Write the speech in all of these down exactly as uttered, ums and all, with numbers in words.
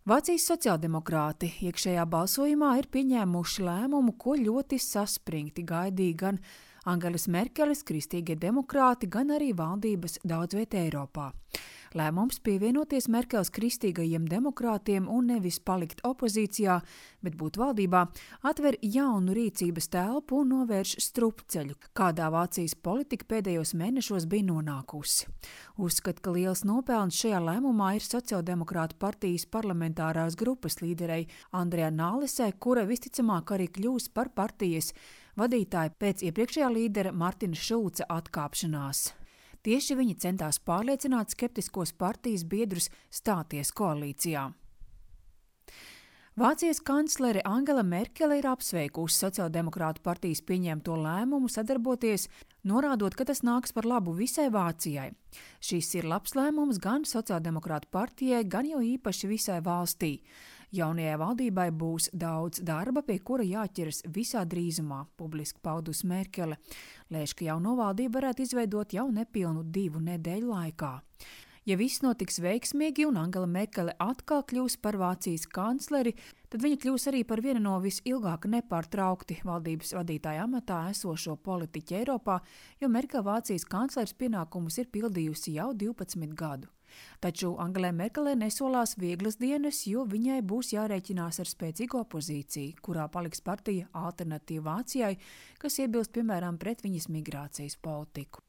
Vācijas sociāldemokrāti iekšējā balsojumā ir pieņēmuši lēmumu, ko ļoti saspringti gaidīja gan Angelas Merkeles kristīgie demokrāti, gan arī valdības daudz viet Eiropā. Lēmums pievienoties Merkeles kristīgajiem demokrātiem un nevis palikt opozīcijā, bet būt valdībā, atver jaunu rīcības telpu un novērš strupceļu, kādā Vācijas politika pēdējos mēnešos bija nonākusi. Uzskat, ka liels nopelns šajā lēmumā ir sociāldemokrātu partijas parlamentārās grupas līderei Andrejai Nālesai, kura visticamāk arī kļūs par partijas vadītāju pēc iepriekšējā līdera Martina Šulca atkāpšanās. Tieši viņi centās pārliecināt skeptiskos partijas biedrus stāties koalīcijā. Vācijas kanclere Angela Merkele ir apsveikusi sociāldemokrātu partijas pieņemto lēmumu sadarboties, norādot, ka tas nāks par labu visai Vācijai. Šis ir labs lēmums gan sociāldemokrātu partijai, gan jau īpaši visai valstī. Jaunajai valdībai būs daudz darba, pie kura jāķeras visā drīzumā, publiski paudusi Merkele. Lēš, ka jauno valdību varētu izveidot jau nepilnu divu nedēļu laikā. Ja viss notiks veiksmīgi un Angela Merkele atkal kļūs par Vācijas kancleri, tad viņa kļūs arī par vienu no visilgāk nepārtraukti valdības vadītāja amatā esošo politiķu Eiropā, jo Merkele Vācijas kanclers pienākumus ir pildījusi jau divpadsmit gadu. Taču Angelai Merkelei nesolās vieglas dienas, jo viņai būs jārēķinās ar spēcīgu opozīciju, kurā paliks partija Alternatīva Vācijai, kas iebilst piemēram pret viņas migrācijas politiku.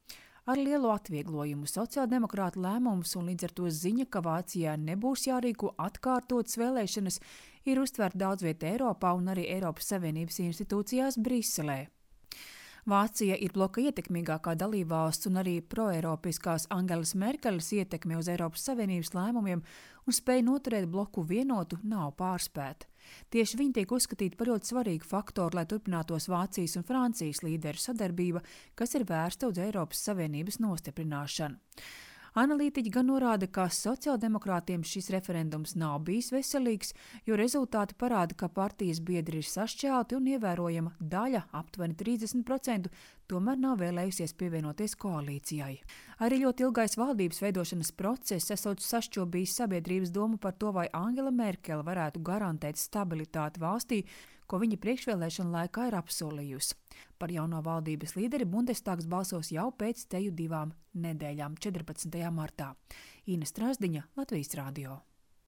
Ar lielu atvieglojumu sociāldemokrātu lēmums un līdz ar to ziņa, ka Vācijā nebūs jārīko atkārtotas vēlēšanas, ir uztverta daudz viet Eiropā un arī Eiropas Savienības institūcijās Briselē. Vācija ir bloka ietekmīgākā dalībvalsts un arī proeiropiskās Angelas Merkeles ietekme uz Eiropas Savienības lēmumiem un spēja noturēt bloku vienotu nav pārspēta. Tieši viņi tiek uzskatīti par ļoti svarīgu faktoru, lai turpinātos Vācijas un Francijas līderu sadarbība, kas ir vērsta uz Eiropas Savienības nostiprināšanu. Analītiķi gan norāda, ka sociāldemokrātiem šis referendums nav bijis veselīgs, jo rezultāti parāda, ka partijas biedri ir sašķelti un ievērojama daļa, aptuveni trīsdesmit procenti, tomēr nav vēlējusies pievienoties koalīcijai. Arī ļoti ilgais valdības veidošanas process esot sašķobījis sabiedrības domu par to, vai Angela Merkele varētu garantēt stabilitāti valstī, ko viņa priekšvēlēšana laikā ir apsolījusi. Par jauno valdības līderi Bundestags balsos jau pēc teju divām nedēļām, četrpadsmitajā martā. Ina Strasdiņa, Latvijas radio.